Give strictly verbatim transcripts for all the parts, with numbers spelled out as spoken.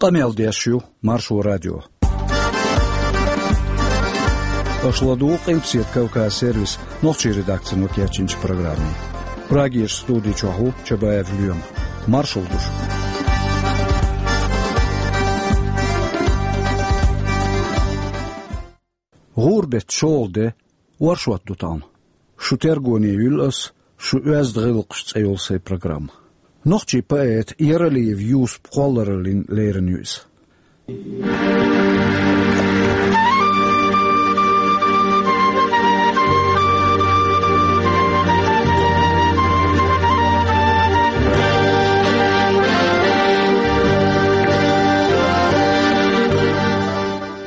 Къамел деш ю Маршо радио. Аша ладугӀу Къилбаседа Кавказ сервисан нохчийн редакцино кечйинчу программе. Прагерчу студи чохь ву Чабаев Лоьма. Маршалла ду шуьга. ГӀуран-беттан шолгӀа де, оршот ду тахана. Шун тергоне юьллу ас, шун «Оьзда гӀиллакхаш» цӀе йолу сайн программа. Нохчийн поэта Яралиев Юсупа кхоллараллина лерина ю иза.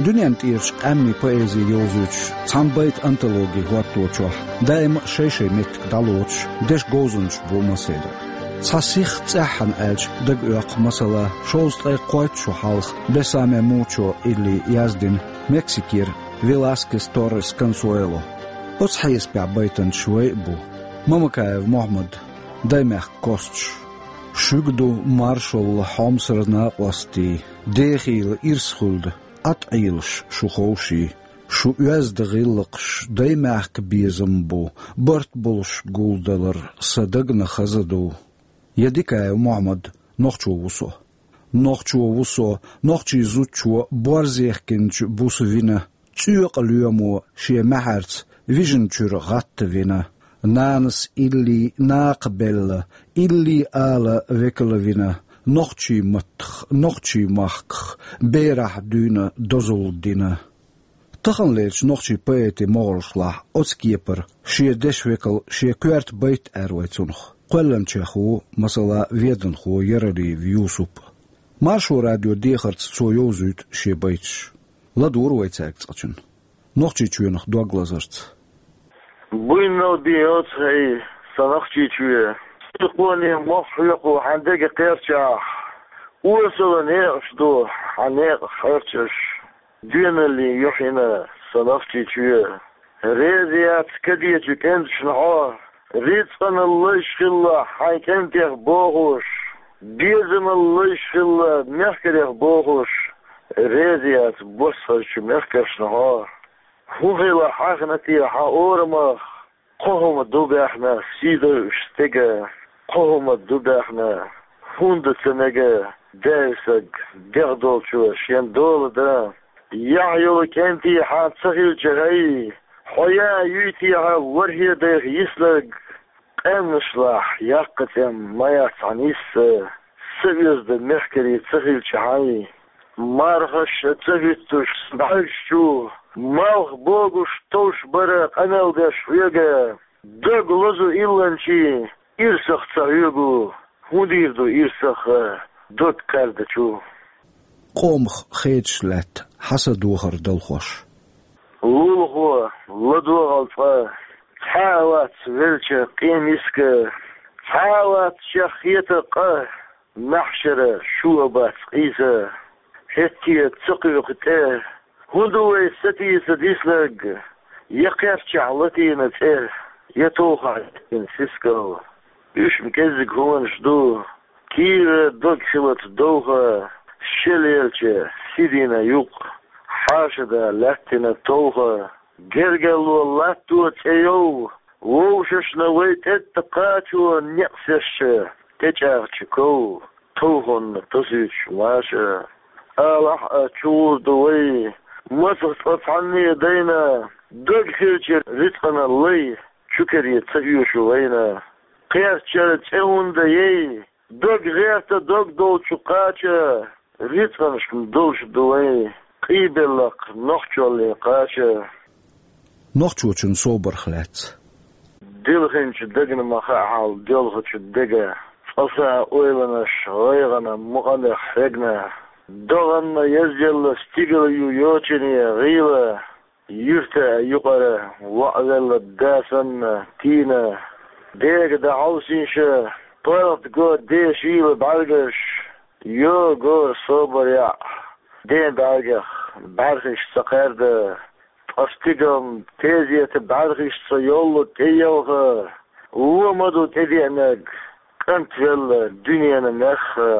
Дуьненна тӀерачу къаьмнийн поэзи йовзуьйтуш цхьана байтан антологи хӀотто чохь даима а шай-шай меттиг дӀалоцуш, дешан говзанчаш бу массеран. Цхьа сих цӀеххьана аьлча дага оьккху, масала, шовзткъе кхойтта шо хьалха Бесаме Мучо илли яздина Мексикера Веласкес Торрес Консуэло. Оцу хьесапехь байтанчаш вай а бу: Мамакаев Мохьмад, «Даймехкан косташ». Шуьга ду маршалла, хьомсара накъостий, дехийла ирс хуьлда, Ӏад Ӏелаш шу ховший. Шун оьзда гӀиллакхаш даймехкан безам бу, барт болуш гулдалар сан дагна хаза ду. Я Дикаев Мохьмад, «Нохчо ву со». Нохчо ву со, нохчийн зудчо борзехкинчу буса вина, цӀоькъа лоьмо шен маьхьарца вижина чуьра гӀатта вина. Нанас илли накха белла, илли ала векала вина, нохчийн маттах, нохчийн махках берахь дуьйна дозалла дина. Таханлерчу нохчийн поэтийн могӀаршлахь оцу кепара шен дешан векал шен коьрта байт аьлла вай цунах. Кхоьллинчех ву, масала, веданхо Яралиев Юсуп. Маршо радион дехарца цо йовзуьйту шен байташ. ЛадогӀур вай цаьрга цкъачунна. Нохчийчоьнах дог лазарца. Буйнал бен йоцу хӀай, сан Нохчийчоь. Сихонан мох хьоькху хьан дега кхерчахь, осала некъаш ду хьан некъах хьерчаш. Доьналлин юьхь йина сан Нохчийчоь. Реза яц кадечу кӀенташна хьо, рицкъанал лайш хилла хьайн кӀентех бохуш, безамал лайш хилла мехкарех бохуш, реза яц боссахарчу мехкаршна хьо. ХӀун хилла хьахна те хьан орамах? Кхо хӀума ду баьхна сий дойуш стеган, кхо хӀума ду баьхна, хӀунда ца мега даьвсаг дегӀ долчо шен дола дан? Яхь йолу кӀентий хьан ца хилча, хӀай, хьо яа юй те хьан ворхӀе дайх йиснарг? Къаьмнашлахь яккха цӀе ма яц хьан йисса, са оьзда мехкарий ца хилча, хьайн. Мархаш ца хӀуьттуш бӀаьргаш чу, малх богуш товш бара къамел деш хьоьга. Дог лозу илланчийн ирсах ца хьоьгу, хӀун дийр ду ирсах дог кхаьрдачу? Къомах хеташ лаьтта хьан са дохар далхош. Лулахо, ладогӀал цкъа, цхьа а вац велча къен миска, цхьа а вац шех хетар къа. Маьхьшара шу а бац къийса, хӀетте ца кхуьйкху тӀе. ХӀун ду вай сатийса диснарг? Я кхерчахь латийна цӀе, я товхахь яьккхина сискал. Уьш-м кӀеззиг хӀуманаш ду, кийра дог хилац довха, шел елча сидийна юкъ, хьаша да лаьттина товха. Гергарло латто цӀе йов, вовшашна вай тӀетта кхачо некъсешча тӀечӀагӀча ков, товхонна тосуьйтуш маша. Алахь а, чу гӀур ду вай, масах цкъа цхьанне а дайна, дог хилча рицкъанал лай, чу кере ца оьшу вайна. Кхерчара цӀе хӀунда яй? Дог гӀерта дог долчу кхача, рицкъанашкахь долуш ду вай, къийбеллакх нохчоллин кхача. Нохчочун собарх лаьцна. Дилхинчу дагна ма хаьа хьал доьлхучу дега, цкъа схьа ойланаш гӀайгӀана мукъамех хьегна. ДогӀанна язъелла стигала ю йочане гӀийла. Юьрта юкъара воӀвелла да санна тийна, дега дӀахьовсийша, паргӀат го дешийла бӀаьргаш, йо, гора собар яӀ, ден бӀаьргех бӀаьрхиш ца кхаьрда. Ткъа стигална тезета бӀаьрхишца йоллу тӀеелха, вон ма ду тӀедеанарг, кӀантвелла дуьненан мехха.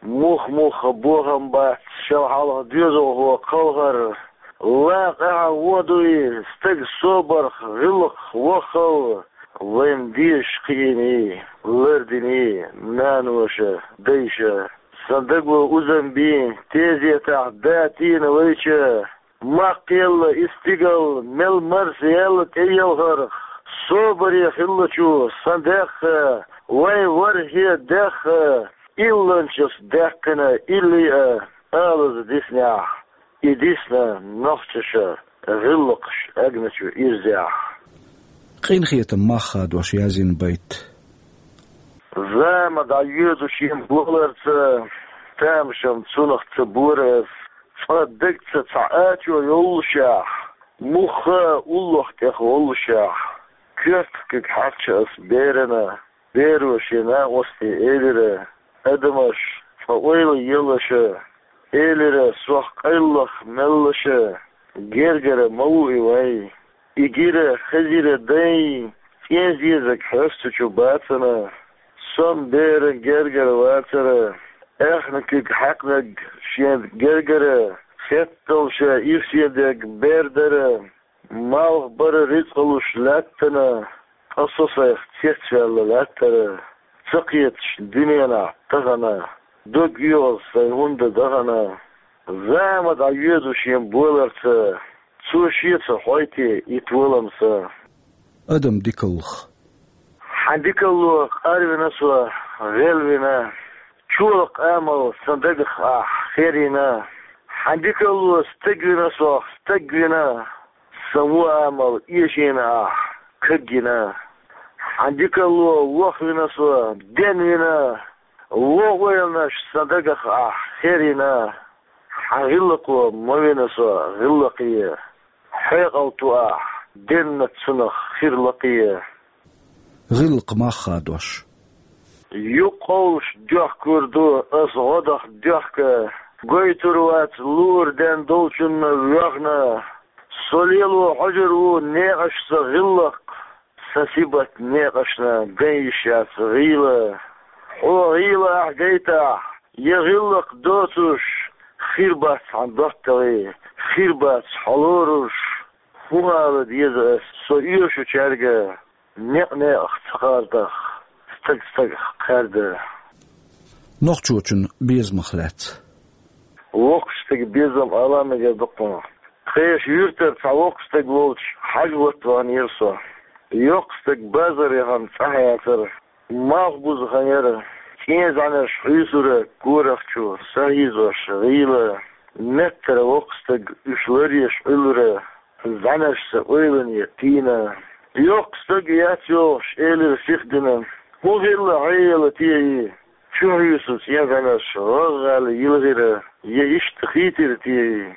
Мух-муха бохам бац шел хьалха доьзалхо кхалхар. Лакъа эхьа вон дуй, стаг собарх, гӀиллакхах вахал, вайн дезаш кхиийний, лардиний наноша, дайша. Сан даго узам бий, тезетахь да тийна вайча, Маккъелла и стигал мел марсаелла тӀеелхарх, собаре хиллачу сан дехха, вайн ворхӀе дехха, илланчас даьккхина илли а алаза диснехь, и дисна нохчаша гӀиллакхаш агначу ирзехь. Къинхетам мах хадош язйина байт. Зама дӀайоьду шен боларца, тамашам цунах ца бора ас, цкъа дагца цхьа ачо йоллушехь, муха уллох тӀех воллушехь, коьртах куьг хьаькхча ас берана, беро шен накъостий элира: «Адамаш, цкъа ойла елаша», — элира сох къайллах меллаша, гергара ма ву и вай. И гира хезира дай, цӀен зезаг хьоьстучу бацана, сом беран гергара вацара, аьхна куьг хьаькхнарг шен гергара, хетталша ирсе дерг бер дара, малх бара рицкъалуш лаьттана, ткъа со сайх цецваьлла лаьттара, ца кхеташ дуьненахь тахана, дог оьгӀаз сайн хӀунда дахана. Зама дӀайоьду шен боларца, цо шеца хьой те и толам сан. Адам дикаллах. Хьан дикалло къарвина со, гӀелвина, чолакх амал сан дагах ахь херийна. Хьан дикалло стегвина сох, стегвина, сан вон амал эшийна ахь, кагйина. Хьан дикалло вохвина со, денвина, вон ойланаш сан дагах ахь херийна. Хьан гӀиллакхо ма вина со гӀиллакхе, хьекъал ту ахь, денна цунах хир лакхе. ГӀиллакх мах хадош. Юккъовлуш доьхкур ду ас гӀодах доьхка, гойтур вац лур ден долчунна воьхна. Со лело хьожур ву некъаш сан гӀиллакх, сан сибат некъашна ган йиш яц гӀийла. Хьо гӀийла ахь гайтахь, я гӀиллакх доцуш, хир бац хьан доттагӀий, хир бац хьо лоруш. ХӀун ала деза ас со оьшучаьрга, некъ-некъах ца кхардах, стаг стагах кхаьрда. Нохчочун безамах лаьцна. Воккхачу стеган безам ала мегар ду кхунах. Тхешан юьртара цхьа воккха стаг волчу хьажа ватта ваханера со. Йоккха стаг базар яхана цӀахь яцара. Малхбуза хан яра. ЦӀен зӀаьнарш хьуьйсура корах чу, сахьийзош гӀийла. Меттара воккха стаг уьш ларъеш Ӏуьллура. ЗӀаьнарш сан ойлане тийна. Йоккха стаг яц йогӀуш, элира сихдина: «ХӀун хилла хьеяла те и? Чу хьуьйсу цӀен зӀаьнарш гӀагӀгӀаьлла йилхира, я иштта хийтира те и?»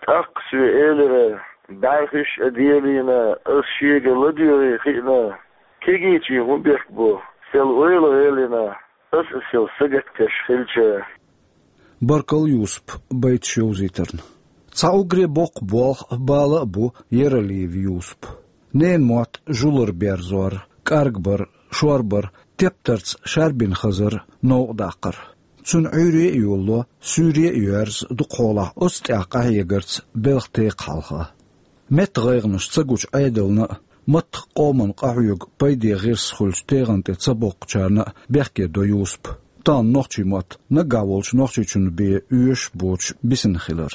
ТӀаккха соь элира: «БӀаьрхиш а делийна, ас шега ладоьгӀий хиъна. Кегийчийн хӀун бехк бу, сел ойла гӀелйина, ас а сел сагатдеш хилча». Баркалла, Юсуп, байташ йовзийтарна. Цхьа уггаре боккха болх а, бала а бу Яралиев Юсупан. Ненан мотт жулар берзор, кӀаргбар, шорбар, тептарца шарбина хазар, новкъа даккхар. Цуьнан Ӏуьйре а йолало, суьйре а йоьрзу дукхахьолахь оцу тӀехь къахьегарца белхан текхна хьалха. Меттан гӀайгӀанаш ца гучу Ӏедална а, маттах къоманна къахьоьгу пайде гӀирс хуьлучу тегӀан тӀе ца боккхучарна а бехке до Юсуп. Тахана нохчийн мотт наггахь волчу Нохчийчунна бен оьшуш боцуш бисина хилар.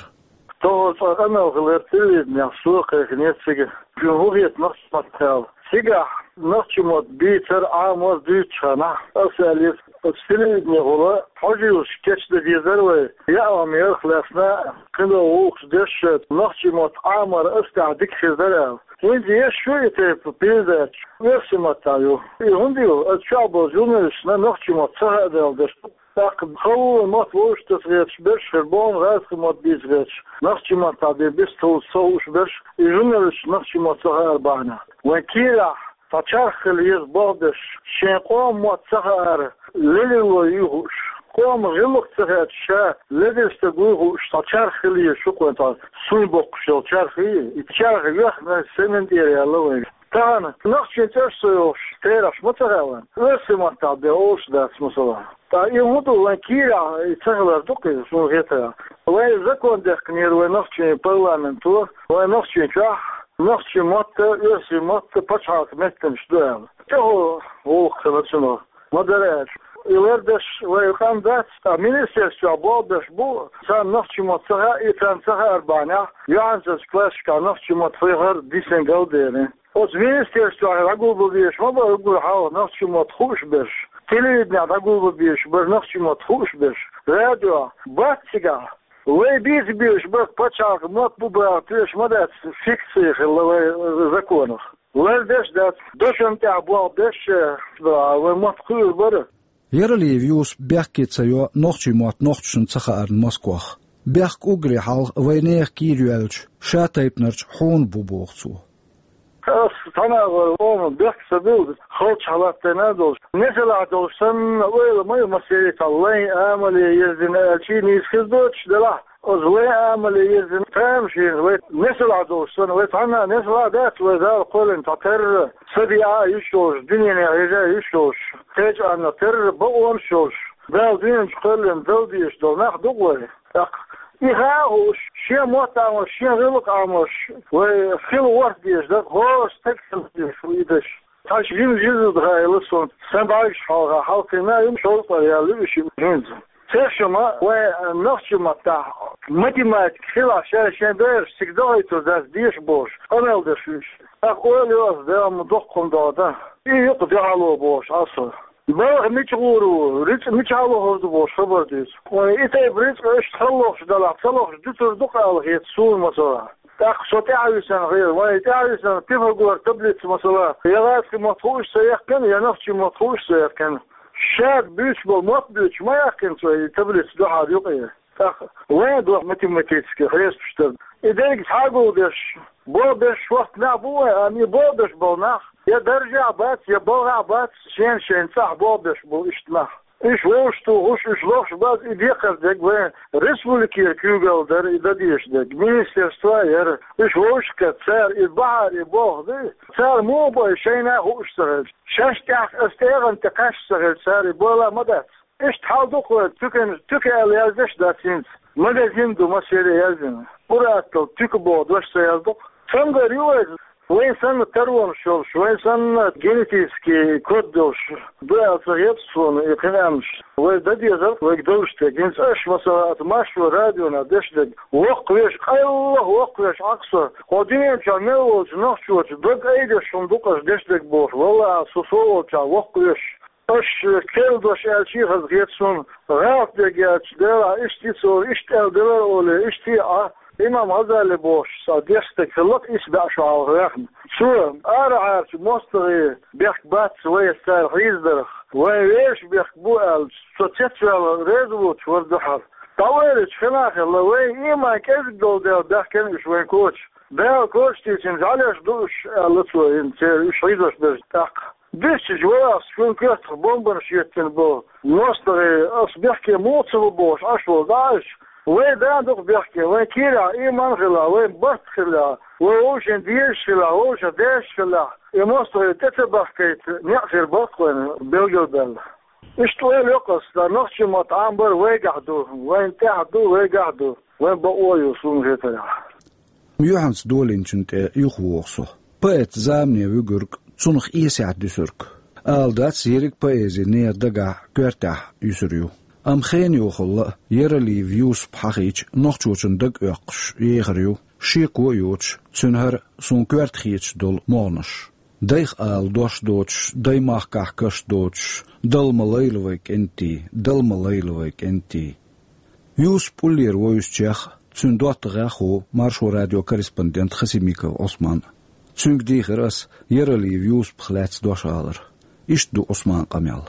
Тахана цкъа къамел хилира телевиденехь, со кхайкхинера цига. Шуна хӀун хета нохчийн маттахь аьлла? Цигахь нохчийн мотт бийцар, Ӏамор дуьйцучу хенахь, аса аьллера, оцу телевиденехула хьожа йолуш кечдан дезара вай, яа хӀума ярх лаьцна, кхидолу гӀуллакхаш деш, нохчийн мотт Ӏамор аса тӀехь дика хир дара аьлла. ХӀинца еш ю и тайпа передача, оьрсийн маттахь ю. И хӀунда ю? Аса чохь болу журналисташна нохчийн мотт ца хаадала деш ду. ТӀаккха халонан мотт вовшах таса гӀерташ берш хир бу, гӀазкхийн мотт бийца гӀерташ, нохчийн маттахь бен бистхула ца хууш берш, и журналисташ нохчийн мотт ца хаар бахьана. Вайн кийрахь цхьа чарх хила еза боху берш, шен къоман мотт ца хаара, ледарло юй хууш, къоман гӀиллакх ца хаьттича, ша ледара стаг вуй хууш, цхьа чарх хила еза шу кхуьнан цхьа суй боккхуш йолу чарх ю и. И чарх йоьхна семин тӀера яьлла вайн. Тахана нохчийн цӀераш ца йохуш, терахьаш ма ца хаьа вайн. Оьрсийн маттахь бен олуш дац, масала. Ткъа и хӀун ду, вайн кийрахь и ца хилар ду-кх иза, суна хетарехь. Вай закон дехкинера вай нохчийн парламенто, вай нохчийн чохь, нохчийн мотт а, оьрсийн мотт а пачхьалкхан меттанаш ду аьлла. ТӀехула гӀуллакх хилла цунах. Ма-дарра аьлча, и лардеш вай къам дац, ткъа министерствехь болх беш бу, царна нохчийн мотт ца хаьа, и царна ца хаар бахьанехь, юьхьанцарчу классашкахь нохчийн мотт хьехар дисина галдеана. Оцу министерствехь дӀагулбан безаш ма бара уггар хьалха нохчийн мотт хууш берш. Телевиденехь дӀагулбан безаш бара нохчийн мотт хууш берш. Радиохь бац цигахь. Вай бийца безаш бара пачхьалкхан мотт бу бахар тоьшалла ма дац, фикция хилла вай законах. Лардеш дац, дошна тӀехь болх беш, вай мотт кхуьур бара. Яралиев Юсуп бехке ца йо нохчийн мотт нохчашна ца хаарна Москвахь. Бехк уггаре хьалха вайн нехан кийра йоьлча, ша тайпанарчу хьуна бу, боху цо. Ас цхьана а вара, ома бехк ца билла, халчохь латтийна а долуш, несалахь долуш санна, ойла ма ю массеран цхьа лайн амале ерзина аьлчий, нийса хир доцуш делахь, оцу лайн амале ерзина тамашийна вай несалахь долуш санна, вай цхьанна а несалахь дац, вай Дала кхоьллина цхьа терра, са беа а йиш йолуш, дуьненан хьежа а йиш йолуш, кхечу анна терра бакъонаш йолуш, Дала дуьнен чу кхоьллина дала дезаш долу нах ду-кх вай. ТӀаккха и хаа а хууш, шен мотт Ӏамош, шен гӀиллакх Ӏамош, вай хила ворхӀ дезаш дара, хӀора стаг хила дезаш ву и даш. Цхьа жима жима ду хаийла суна, сан бӀаьргаш хьалха хьалкхийна а ю, шовзткъа яьлла ю и шиъ хӀинца. Цершимма вайн нохчийн маттахь математика хилахь, ша шен бераш цига дохуьйтур дац деша бохуш, къамел деш ву уьш. ТӀаккха ойла йо ас, Дала ма доккха хӀума догӀу дан. И юкъа дуьхьало бохуш Ӏа со. Балха мича гӀур ву, рицкъа мичахь лохур ду бохуш хабар дуьйцу. Вайн и тайпа рицкъа иштта хала лохуш делахь, ца лохуш дуьтур ду-кх ала хета суна, масала. ТӀаккха со тӀаьхьа висина хир, вайн тӀаьхьа висина Пифагора таблица, масала, я гӀазкхийн мотт хууш ца яьккхина, я нохчийн мотт хууш ца яьккхина. Ша буьйцуш болу мотт буьйцуш ма яьккхина цо и таблица дуьхьал юкъе. ТӀаккха вайн доху математически хьесапаш дар. И дерриг схьагулдеш, болх беш шортта нах бу вайн, амма и болх беш болу нах я даржехь бац, я балхахь бац, шен-шен цӀахь болх беш болу иштта нах. Уьш вовшахтухуш, уьш лохуш база и декхар дерг вайн республикера куьйгалла дара и дан дезаш дерг, министерство а яра. Уьш вовшахкхетта, цара и бахьара и болх ду, цара муха бо и шайна а хууш ца хилча, шаьш тӀехь аса тӀегӀан тӀе кхаьчча ца хилча, цара и бала ма дац. Иштта хьал ду-кх вай, туька, туька аьлла яздеш дац хӀинца. Магазин ду массеран яздина. Ур-атталла туька боху дош ца яздо-кх. Цамгар ю вай, вайн санна таронаш йолуш, вайн санна генетический код долуш ду аьлла ца хета суна и кхин аьмнаш. Вай дан дезарг вайга долуш дерг. ХӀинца аша, масала, аса Маршо радиона деш дерг. Воккхавеш, къайлаха воккхавеш Ӏа-кх со. Кху дуьнен чохь мел волчу нохчочун дог айдеш хӀума ду-кх аша деш дерг бохуш. Валлахьи, со со волчохь воккхавеш. Аша керла дош аьлча а хаза хета суна, гӀалат дерг аьлча, делахь иштта йицволу, иштта аьлла делара олий, иштта а Ӏа, имам Гъазали бохуш, цхьа дешна стаг хилла-кх исс бӀе шо хьалха ваьхна. Цо арахьарчу мостагӀийн бехк бац вайца цара хьийзадарх, вайн вешан бехк бу аьлла, цо цецваьлла реза воцуш вара дуьхьал. ДӀаоьллачу хенахь а хилла, вайн иман кӀезиг долу дела баьхкина уьш вайн коча. Дала коча тийсина жӀаьлеш ду уьш, аьлла цо, хӀинца церан уьш хьийзош берш тӀаккха. Дуьстича валахь, шун коьртах бомбанаш еттина болу мостагӀий, ас бехке муха ца ву бохуш Ӏаш волу дӀа а аьлча, вай да а ду-кх бехке, вайн кийрахь иман а хилахь, вайн барт а хилахь, вай вовшийн дезаш хилахь, вовшийн дешаш хилахь, и мостагӀий тӀе ца бахкийта некъ хир бара-кх вайна билгалбаьлла. Иштта ойла йо-кх ас, сан нохчийн мотт Ӏамбар вайгахь ду, вайна тӀехь ду, вайгахь ду, вайн бакъо а ю, суна хетарехь. Юьхьанца долийначун тӀе юхавогӀу со. Поэт замане вуьгург, цунах эсехь дуьсург. Ала дац ерриг поэзи нехан дагахь, коьртехь юьсур ю. Амма хенан йохалла а Яралиев Юсуп хьахийча, нохчочун дага оьккхуш ехар ю, шеко а йоцуш, цуьнан хӀара суна коьрта хеташ долу могӀанаш. Дайх ала дош доцуш, даймахкахь каш доцуш, Дала ма лайла вай кӀентий, Дала ма лайла вай кӀентий. Юсуп уллера вовзучех а, цуьнан доттагӀех а ву Маршо радион корреспондент Хасимиков Ӏусман. Цуьнга дийхира ас Яралиев Юсупах лаьцна дош алар. Иштта ду Ӏусманан къамел.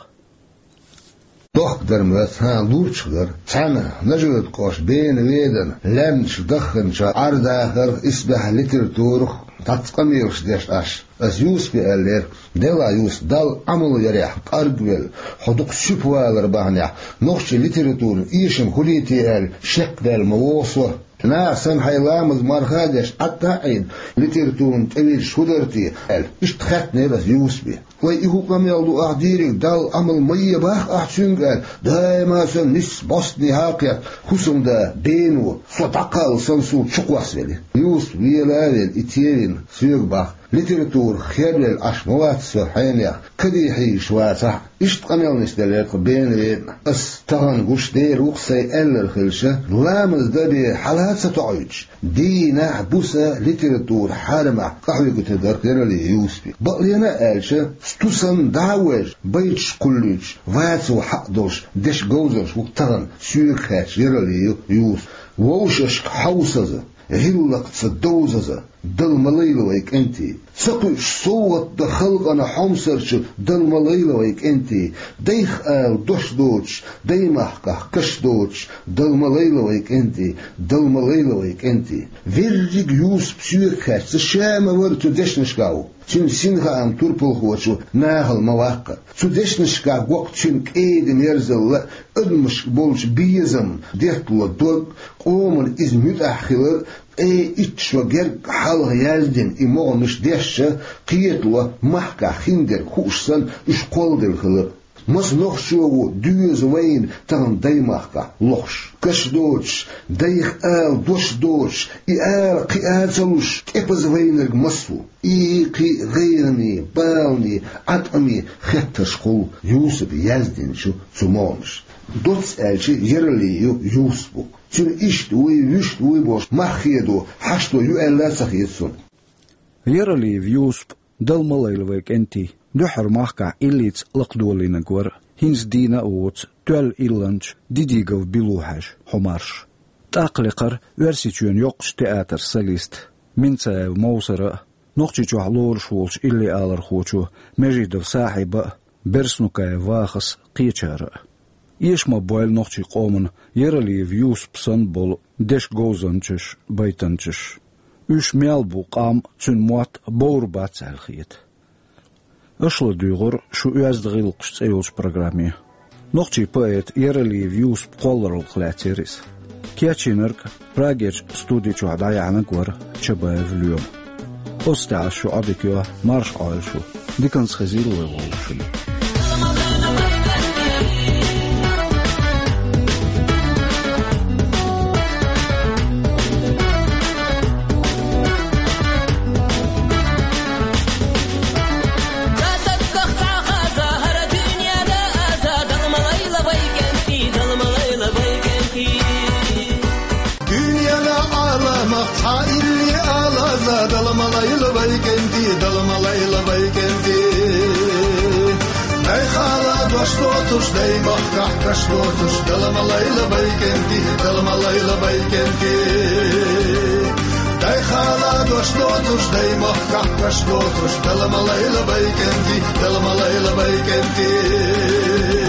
Дохка дара моьтту, хӀан, лурчах дара. Цхьаьна Нажи-Юьртан кӀоштан Бена-Ведана лаьмнаш дахханчохь Ӏер-дахарх, исбаьхьа литературах цхьацца къамелаш деш Ӏаш. Ас Юсупе аьллера: «Делахь, Юсуп, Далла Ӏамал ярехь, кӀаргвелла, хьо дукха суьпа валар бахьанехь, нохчийн литературан эшам хуьлий те аьлла, шекдаьлла ма вогӀу со. Наха санна хьайн ламаз-марха а деш, Ӏадда а Ӏийна, литературана тӀевирзича хӀун дара те?» — аьлла. Иштта хаьттинера ас Юсупе. Вай, и хӀун къамел ду ахь дийриг, Далла Ӏамал ма е бах ахь цуьнга аьлла, даима санна нийсса бӀостанехьа кхетта, хӀусамда бено, со дӀакхалла санна суна чукхоссавелира. Юсуп вела а велла, и тевина, соьга бах: литература хервелла Ӏаш ма вац со хьенех, кадий хьийзаш вацахь а. Иштта къамел нисделира тхан бена вена. Ас тахана гуш дер ву-кх сайн аьллар хилча, ламаз дан бен хьала а ца тоӀуьйтуш, дийнахь а, буса а литература хьарамехь къахьоьгуьйтур дара Яралиев Юсупе. Бакълена а аьлча, сту санна дӀа а ваьжна, байташ кхуллуьйтуш, вацо хьакъ долуш дешан говзанча ву-кх тахана соьга хаьтташ Яралиев Юсуп. Вовшашка хьовсаза, гӀиллакхца довзаза, Дала ма лайла вай кӀентий. Ца кхуьуш совгӀат дан халкъана хьомсарчу, Дала ма лайла вай кӀентий. Дайх ала дош доцуш, даймахкахь каш доцуш, Дала ма лайла вай кӀентий, Дала ма лайла вай кӀентий. Верриг Юсуп соьга хаьттича, ша ма вара цу дешнашкахь ву. Цуьнан синхаам турпалхочо нахала ма ваккха. Цу дешнашкахь го-кх цуьнан кӀеда-мерзалла, адамашка болчу безам, деттало дог, къоман иза муьтӀахь хилар, ткъе итт шо гергга хьалха яздина и могӀанаш дешча, кхетало махкахь хиндерг хууш санна, уьш кхолладелла хилар. Маса нохчо ву доьза вайна тахана даймахкахь лохуш? Каш доцуш, дайх ала дош доцуш, и ала кхиа а ца луш, тӀепаза вайнарг маса ву? И кхин а гӀайгӀане, балане, Ӏаткъаме хеттарш хуьлу Юсупа яздинчу цу могӀанаш. Доцца аьлча, Яралиев Юсуп ву-кх. Цуьнан иштта вуй, вуьшта вуй бохуш, мах хедо, хьашто ю аьлла а ца хета суна. Яралиев Юсуп, Дала ма лайла вай кӀентий, дуьххьара махкахь иллица лакхадолийнарг вара, хӀинца дийна а воцу, тоьлла илланча Дидигов Билу хьаьжа хьо марша. ТӀаккха лекхара Оьрсийчоьнан йоккхачу театран солист Минцаев Мовсара а, Нохчийчохь лоруш волчу илли-алархочо Межидов Сахьиба а, Берснукаев Вахас а, кхечара а. Эша ма бойла нохчийн къомана Яралиев Юсуп санна болу дешан говзанчаш, байтанчаш. Уьш мел бу къам, цуьнан мотт бовр бац аьлла хета. Аша ладуьйгӀура шу «Оьзда гӀиллакхаш» цӀе йолчу программе. Нохчийн поэта Яралиев Юсупа кхоллараллах лаьцнера иза. Кечйинарг Прагерчу студи чохь дӀаяьхьнарг вара Чабаев Лоьма. Оцу тӀехь ас шу Ӏодика йо, марша Ӏойла шу. Диканца хезийла вай вовшашна. Дуьненан Ӏаламах цхьа илли алаза, Дала ма лайла вай кӀентий, Дала ма лайла вай кӀентий. Дай хала дош доцуш, даймахкахь каш доцуш, Дала ма лайла вай кӀентий, Дала ма лайла вай кӀентий. Дай хала дош доцуш, даймахкахь каш доцуш, Дала ма лайла вай кӀентий, Дала ма лайла вай кӀентий.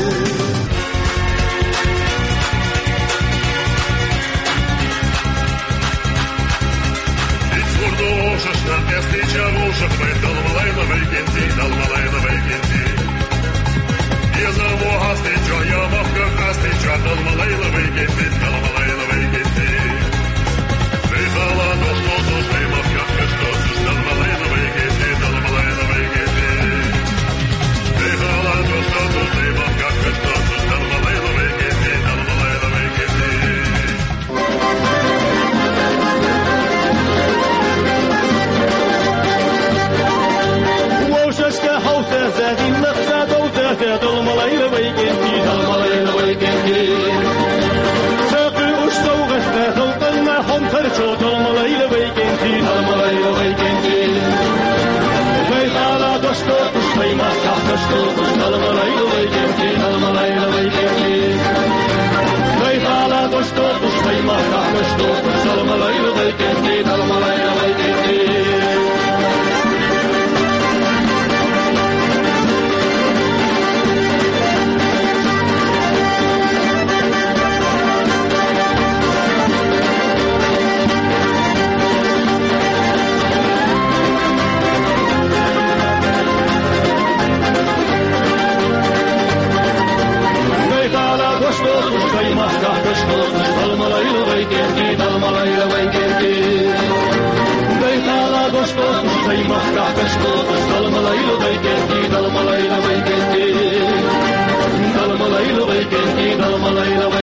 Вовшашка хьовсаза, гӀиллакхца довзаза, Дала ма лайла вай кӀентий, Дала ма лайла вай кӀентий. Ца кхуьуш совгӀатна халкъанна хьомсарчо, Дала ма лайла вай кӀентий, Дала ма лайла вай кӀентий. Дай хала дош доцуш, даймахкахь каш доцуш, Дала ма лайла вай кӀентий, Дала ма лайла вай кӀентий. Дай хала дош доцуш, даймахкахь каш доцуш, Дала ма лайла вай кӀентий, Дала ма лайла вай кӀентий.